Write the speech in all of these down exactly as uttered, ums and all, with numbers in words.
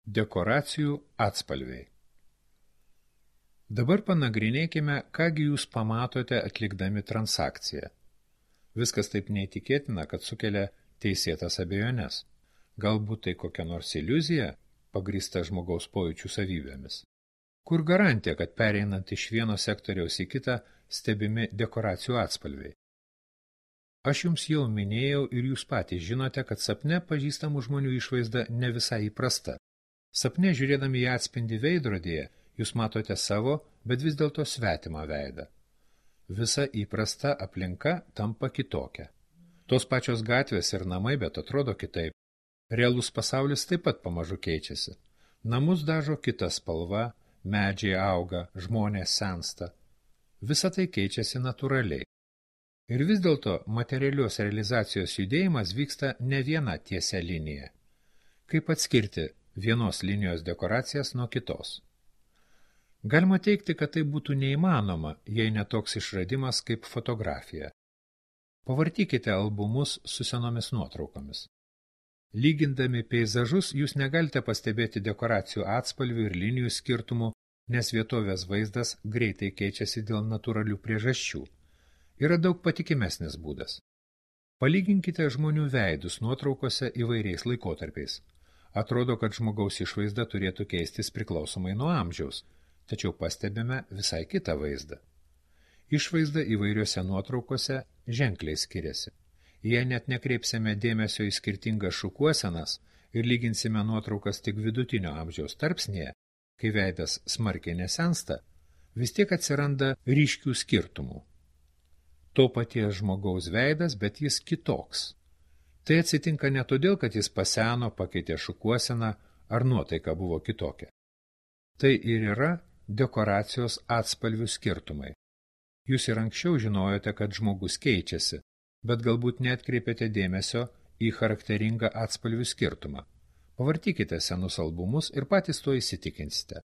Dekoracijų atspalviai. Dabar panagrinėkime, kągi jūs pamatote atlikdami transakciją. Viskas taip neįtikėtina, kad sukelia teisėtas abejones. Galbūt tai kokia nors iliuzija, pagrįsta žmogaus pojūčių savybėmis. Kur garantija, kad pereinant iš vieno sektoriaus į kitą stebimi dekoracijų atspalviai? Aš jums jau minėjau ir jūs patys žinote, kad sapne pažįstamų žmonių išvaizda ne visai įprasta. Sapne žiūrėdami į atspindį veidrodyje, jūs matote savo, bet vis dėlto svetimą veidą. Visa įprasta aplinka tampa kitokia. Tos pačios gatvės ir namai, bet atrodo kitaip. Realus pasaulis taip pat pamažu keičiasi. Namus dažo kita spalva, medžiai auga, žmonės sensta. Visa tai keičiasi natūraliai. Ir vis dėlto materialios realizacijos judėjimas vyksta ne viena tiesia linija. Kaip atskirti vienos linijos dekoracijas nuo kitos? Galima teigti, kad tai būtų neįmanoma, jei ne toks išradimas kaip fotografija. Pavartykite albumus su senomis nuotraukomis. Lygindami peizažus, jūs negalite pastebėti dekoracijų atspalvių ir linijų skirtumų, nes vietovės vaizdas greitai keičiasi dėl natūralių priežasčių. Yra daug patikimesnis būdas. Palyginkite žmonių veidus nuotraukose įvairiais laikotarpiais. Atrodo, kad žmogaus išvaizda turėtų keistis priklausomai nuo amžiaus, tačiau pastebime visai kitą vaizdą. Išvaizda įvairiose nuotraukose ženkliai skiriasi. Jei net nekreipsime dėmesio į skirtingas šukuosenas ir lyginsime nuotraukas tik vidutinio amžiaus tarpsnėje, kai veidas smarkiai nesensta, vis tiek atsiranda ryškių skirtumų. To paties žmogaus veidas, bet jis kitoks. Tai atsitinka ne todėl, kad jis paseno, pakeitė šukuoseną ar nuotaika buvo kitokia. Tai ir yra dekoracijos atspalvių skirtumai. Jūs ir anksčiau žinojote, kad žmogus keičiasi, bet galbūt neatkreipėte dėmesio į charakteringą atspalvių skirtumą. Pavartykite senus albumus ir patys to įsitikinsite.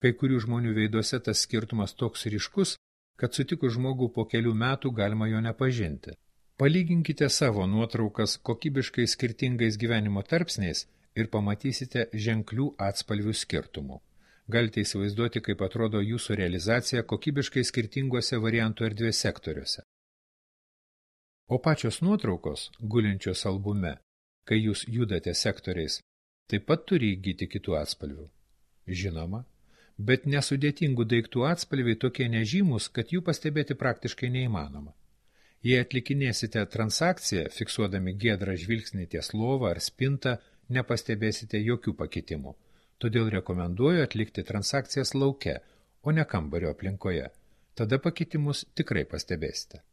Kai kurių žmonių veiduose tas skirtumas toks ryškus, kad sutikus žmogų po kelių metų galima jo nepažinti. Palyginkite savo nuotraukas kokybiškai skirtingais gyvenimo tarpsniais ir pamatysite ženklių atspalvių skirtumų. Galite įsivaizduoti, kaip atrodo jūsų realizacija kokybiškai skirtingose variantų erdvės sektoriuose. O pačios nuotraukos, gulinčios albume, kai jūs judate sektoriais, taip pat turi įgyti kitų atspalvių. Žinoma, bet nesudėtingų daiktų atspalviai tokie nežymus, kad jų pastebėti praktiškai neįmanoma. Jei atlikinėsite transakciją, fiksuodami giedrą žvilgsnį ties lovą ar spintą, nepastebėsite jokių pakitimų. Todėl rekomenduoju atlikti transakcijas lauke, o ne kambario aplinkoje. Tada pakitimus tikrai pastebėsite.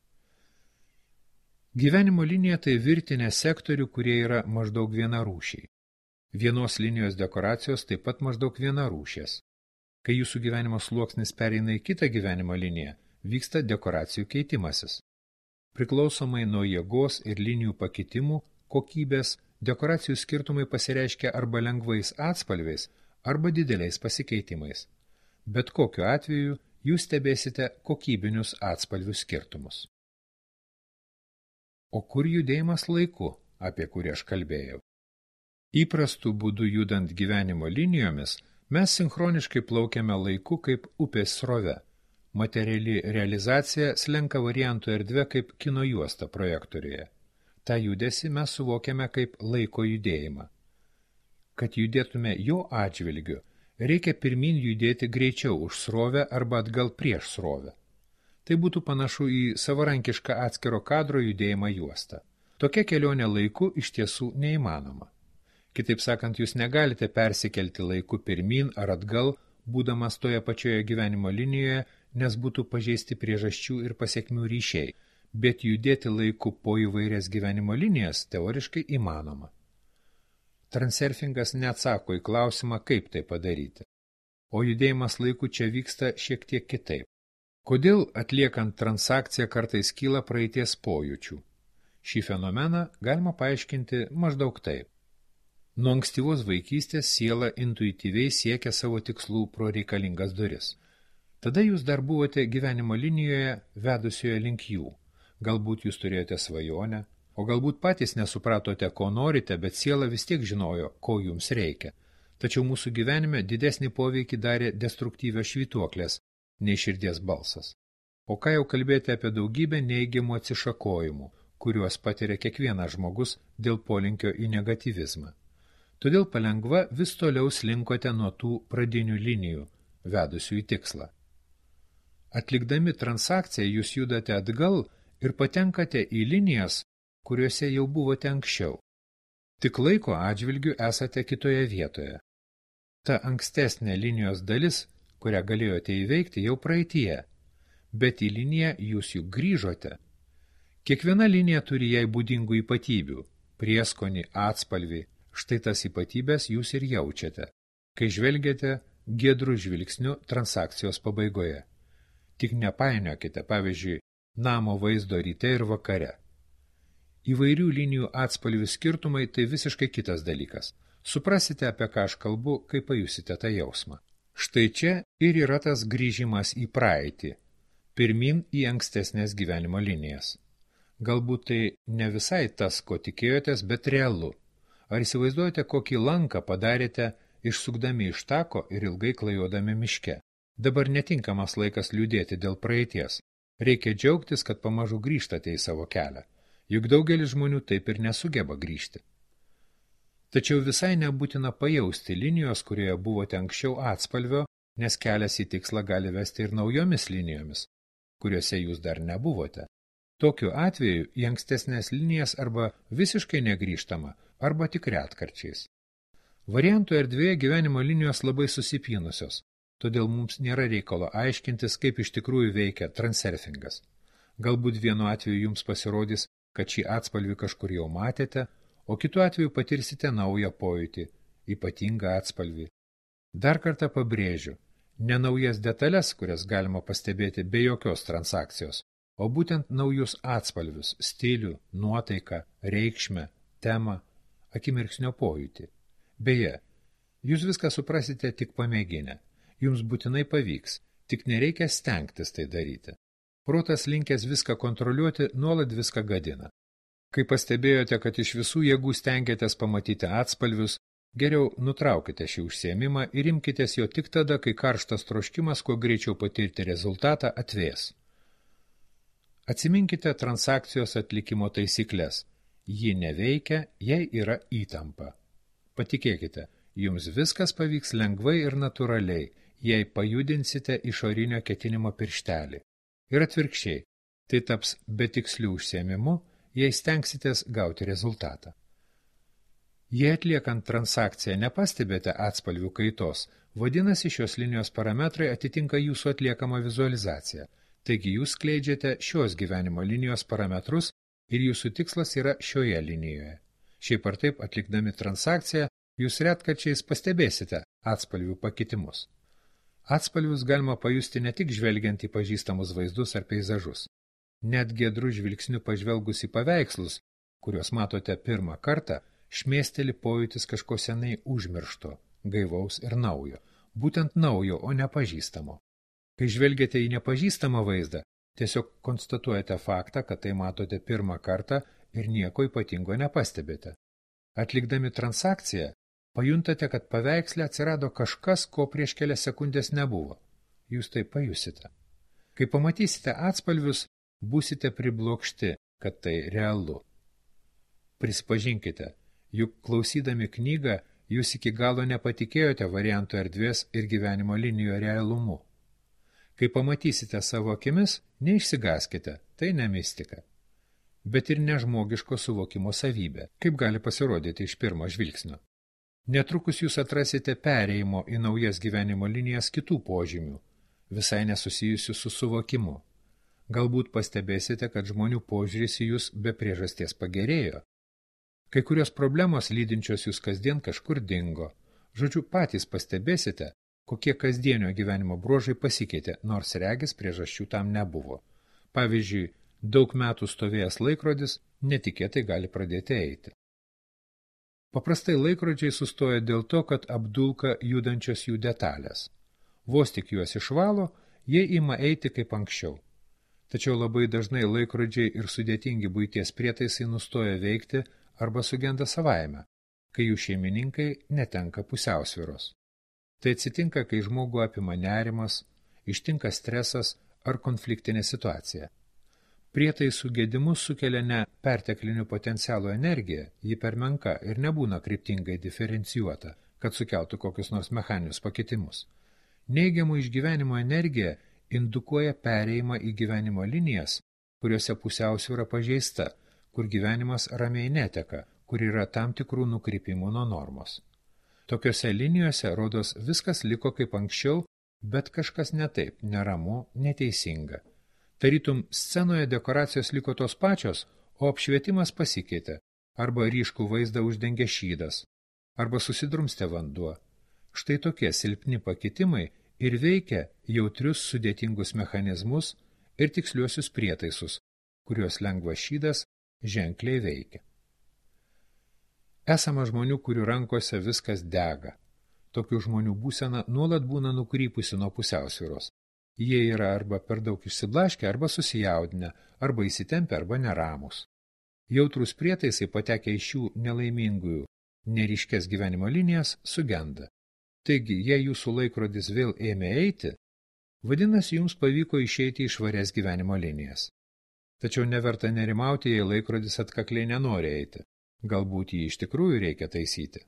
Gyvenimo linija tai virtinė sektorių, kurie yra maždaug vienarūšiai. Vienos linijos dekoracijos taip pat maždaug vienarūšės. Kai jūsų gyvenimo sluoksnis pereina į kitą gyvenimo liniją, vyksta dekoracijų keitimasis. Priklausomai nuo jėgos ir linijų pakitimų, kokybės, dekoracijų skirtumai pasireiškia arba lengvais atspalviais, arba dideliais pasikeitimais. Bet kokiu atveju jūs stebėsite kokybinius atspalvių skirtumus. O kur judėjimas laiku, apie kurį aš kalbėjau? Įprastų būdų judant gyvenimo linijomis, mes sinchroniškai plaukiame laiku kaip upės srove. Materiali realizacija slenka variantų erdvė kaip kino juosta projektoriuje. Ta judesį mes suvokiame kaip laiko judėjimą. Kad judėtume jo atžvilgiu, reikia pirmin judėti greičiau už srovę arba atgal prieš srovę. Tai būtų panašu į savarankišką atskiro kadro judėjimą juostą. Tokia kelionė laiku iš tiesų neįmanoma. Kitaip sakant, jūs negalite persikelti laiku pirmin ar atgal, būdamas toje pačioje gyvenimo linijoje, nes būtų pažeisti priežasčių ir pasekmių ryšiai, bet judėti laiku po įvairias gyvenimo linijas teoriškai įmanoma. Transurfingas neatsako į klausimą, kaip tai padaryti. O judėjimas laiku čia vyksta šiek tiek kitaip. Kodėl atliekant transakciją kartais kyla praeities pojūčių? Šį fenomeną galima paaiškinti maždaug taip. Nuo ankstyvos vaikystės siela intuityviai siekia savo tikslų pro reikalingas duris. Tada jūs dar buvote gyvenimo linijoje vedusioje link jų. Galbūt jūs turėjote svajonę, o galbūt patys nesupratote, ko norite, bet siela vis tiek žinojo, ko jums reikia. tačiau mūsų gyvenime didesnį poveikį darė destruktyvios švytuoklės nei širdies balsas. O ką jau kalbėti apie daugybę neigiamų atsišakojimų, kuriuos patiria kiekvienas žmogus dėl polinkio į negatyvizmą. Todėl palengva vis toliau slinkote nuo tų pradinių linijų, vedusių į tikslą. Atlikdami transakciją jūs judate atgal ir patenkate į linijas, kuriuose jau buvote anksčiau. Tik laiko atžvilgiu esate kitoje vietoje. Ta ankstesnė linijos dalis, kurią galėjote įveikti, jau praeityje, bet į liniją jūs juk grįžote. Kiekviena linija turi jai būdingų ypatybių, prieskonį, atspalvį, štai tas ypatybės jūs ir jaučiate, kai žvelgiate giedrų žvilgsniu transakcijos pabaigoje. Tik nepainiokite, pavyzdžiui, namo vaizdo ryte ir vakare. Įvairių linijų atspalvių skirtumai tai visiškai kitas dalykas. Suprasite, apie ką aš kalbu, kai pajusite tą jausmą. Štai čia ir yra tas grįžimas į praeitį, pirmin į ankstesnės gyvenimo linijas. Galbūt tai ne visai tas, ko tikėjotės, bet realu. Ar įsivaizduojate, kokį lanką padarėte, išsukdami iš tako ir ilgai klajodami miške? Dabar netinkamas laikas liūdėti dėl praeities. Reikia džiaugtis, kad pamažu grįžtate į savo kelią. Juk daugelis žmonių taip ir nesugeba grįžti. Tačiau visai nebūtina pajausti linijos, kurioje buvote anksčiau atspalvio, nes kelias į tikslą gali vesti ir naujomis linijomis, kuriuose jūs dar nebuvote. Tokiu atveju į ankstesnės linijas arba visiškai negrįžtama, arba tik retkarčiais. Variantų erdvėje gyvenimo linijos labai susipynusios, todėl mums nėra reikalo aiškintis, kaip iš tikrųjų veikia transurfingas. Galbūt vienu atveju jums pasirodys, kad šį atspalvį kažkur jau matėte, o kitu atveju patirsite naują pojūtį, ypatingą atspalvį. Dar kartą pabrėžiu, ne naujas detalės, kurias galima pastebėti be jokios transakcijos, o būtent naujus atspalvius, stilių, nuotaiką, reikšmę, temą, akimirksnio pojūtį. Beje, jūs viską suprasite tik pamėginę. Jums būtinai pavyks, tik nereikia stengtis tai daryti. Protas linkęs viską kontroliuoti, nuolat viską gadina. Kai pastebėjote, kad iš visų jėgų stengiatės pamatyti atspalvius, geriau nutraukite šį užsiėmimą ir imkitės jo tik tada, kai karštas troškimas, kuo greičiau patirti rezultatą, atvės. Atsiminkite transakcijos atlikimo taisyklės. Ji neveikia, jei yra įtampa. Patikėkite, jums viskas pavyks lengvai ir natūraliai, jei pajudinsite išorinio ketinimo pirštelį. Ir atvirkščiai, tai taps betikslių užsiėmimu, jei stengsitės gauti rezultatą. Jei atliekant transakciją nepastebėte atspalvių kaitos, vadinasi šios linijos parametrai atitinka jūsų atliekamą vizualizaciją, taigi jūs skleidžiate šios gyvenimo linijos parametrus ir jūsų tikslas yra šioje linijoje. Šiaip ar taip, atlikdami transakciją, jūs retkarčiais pastebėsite atspalvių pakitimus. Atspalvius galima pajusti ne tik žvelgiant į pažįstamus vaizdus ar peizažus. Net giedrų žvilgsnių pažvelgus į paveikslus, kuriuos matote pirmą kartą, šmėsteli pojūtis kažko senai užmiršto, gaivaus ir naujo. Būtent naujo, o nepažįstamo. Kai žvelgiate į nepažįstamą vaizdą, tiesiog konstatuojate faktą, kad tai matote pirmą kartą ir nieko ypatingo nepastebėte. Atlikdami transakciją, pajuntate, kad paveiksle atsirado kažkas, ko prieš kelias sekundės nebuvo. Jūs tai pajusite. Kai pamatysite atspalvius, būsite priblokšti, kad tai realu. Prisipažinkite, juk klausydami knygą, jūs iki galo nepatikėjote variantų erdvės ir gyvenimo linijų realumu. Kai pamatysite savo akimis, neišsigaskite, tai ne mistika. Bet ir nežmogiško suvokimo savybė, kaip gali pasirodyti iš pirmo žvilgsnio. Netrukus jūs atrasite perėjimo į naujas gyvenimo linijas kitų požymių, visai nesusijusių su suvokimu. Galbūt pastebėsite, kad žmonių požiūris į jūs be priežasties pagerėjo. Kai kurios problemos lydinčios jūs kasdien kažkur dingo. Žodžiu, patys pastebėsite, kokie kasdienio gyvenimo bruožai pasikeitė, nors regis priežasčių tam nebuvo. Pavyzdžiui, daug metų stovėjęs laikrodis netikėtai gali pradėti eiti. Paprastai laikrodžiai sustoja dėl to, kad apdulka judančios jų detalės. Vos tik juos išvalo, jie ima eiti kaip anksčiau. Tačiau labai dažnai laikrodžiai ir sudėtingi buities prietaisai nustoja veikti arba sugenda savaime. kai jų šeimininkai netenka pusiausvyros. Tai atsitinka, kai žmogų apima nerimas, ištinka stresas ar konfliktinė situacija. Prietaisų gedimus sukelia ne perteklinių potencialų energija, ji per menka ir nebūna kryptingai diferencijuota, kad sukeltų kokius nors mechaninius pakitimus. Neigiamų išgyvenimo energija indukuoja perėjimą į gyvenimo linijas, kuriuose pusiausvyra pažeista, kur gyvenimas ramiai neteka, kur yra tam tikrų nukrypimų nuo normos. Tokiose linijose, rodos, viskas liko kaip anksčiau, bet kažkas ne taip, neramu, neteisinga. Tarytum scenoje dekoracijos liko tos pačios, o apšvietimas pasikeitė, arba ryškų vaizdą uždengė šydas, arba susidrumstė vanduo. Štai tokie silpni pakitimai ir veikia jautrius sudėtingus mechanizmus ir tiksliuosius prietaisus, kuriuos lengvas šydas ženkliai veikia. Esama žmonių, kurių rankose viskas dega. Tokių žmonių būsena nuolat būna nukrypusi nuo pusiausvyros. Jie yra arba per daug išsiblaškę, arba susijaudinę, arba įsitempę, arba neramus. Jautrus prietaisai patekę iš šių nelaimingųjų, neryškės gyvenimo linijas sugenda. Taigi, jei jūsų laikrodis vėl ėmė eiti, vadinasi, jums pavyko išeiti iš švarias gyvenimo linijas. Tačiau neverta nerimauti, jei laikrodis atkakliai nenori eiti. Galbūt jį iš tikrųjų reikia taisyti.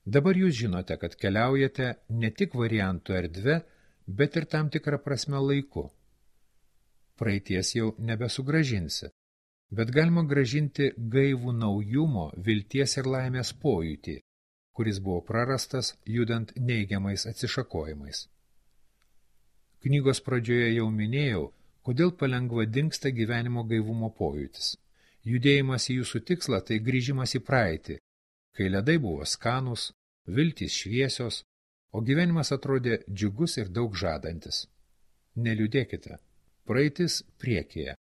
Dabar jūs žinote, kad keliaujate ne tik variantų erdve, bet ir tam tikrą prasme laiku. Praeities jau nebesugražinsi, bet galima gražinti gaivų naujumo, vilties ir laimės pojūtį, kuris buvo prarastas judant neigiamais atsišakojimais. Knygos pradžioje jau minėjau, kodėl palengva dingsta gyvenimo gaivumo pojūtis. Judėjimas į jūsų tikslą tai grįžimas į praeitį, kai ledai buvo skanūs, viltys šviesios, o gyvenimas atrodė džiugus ir daug žadantis. Neliūdėkite, praeitis priekyje.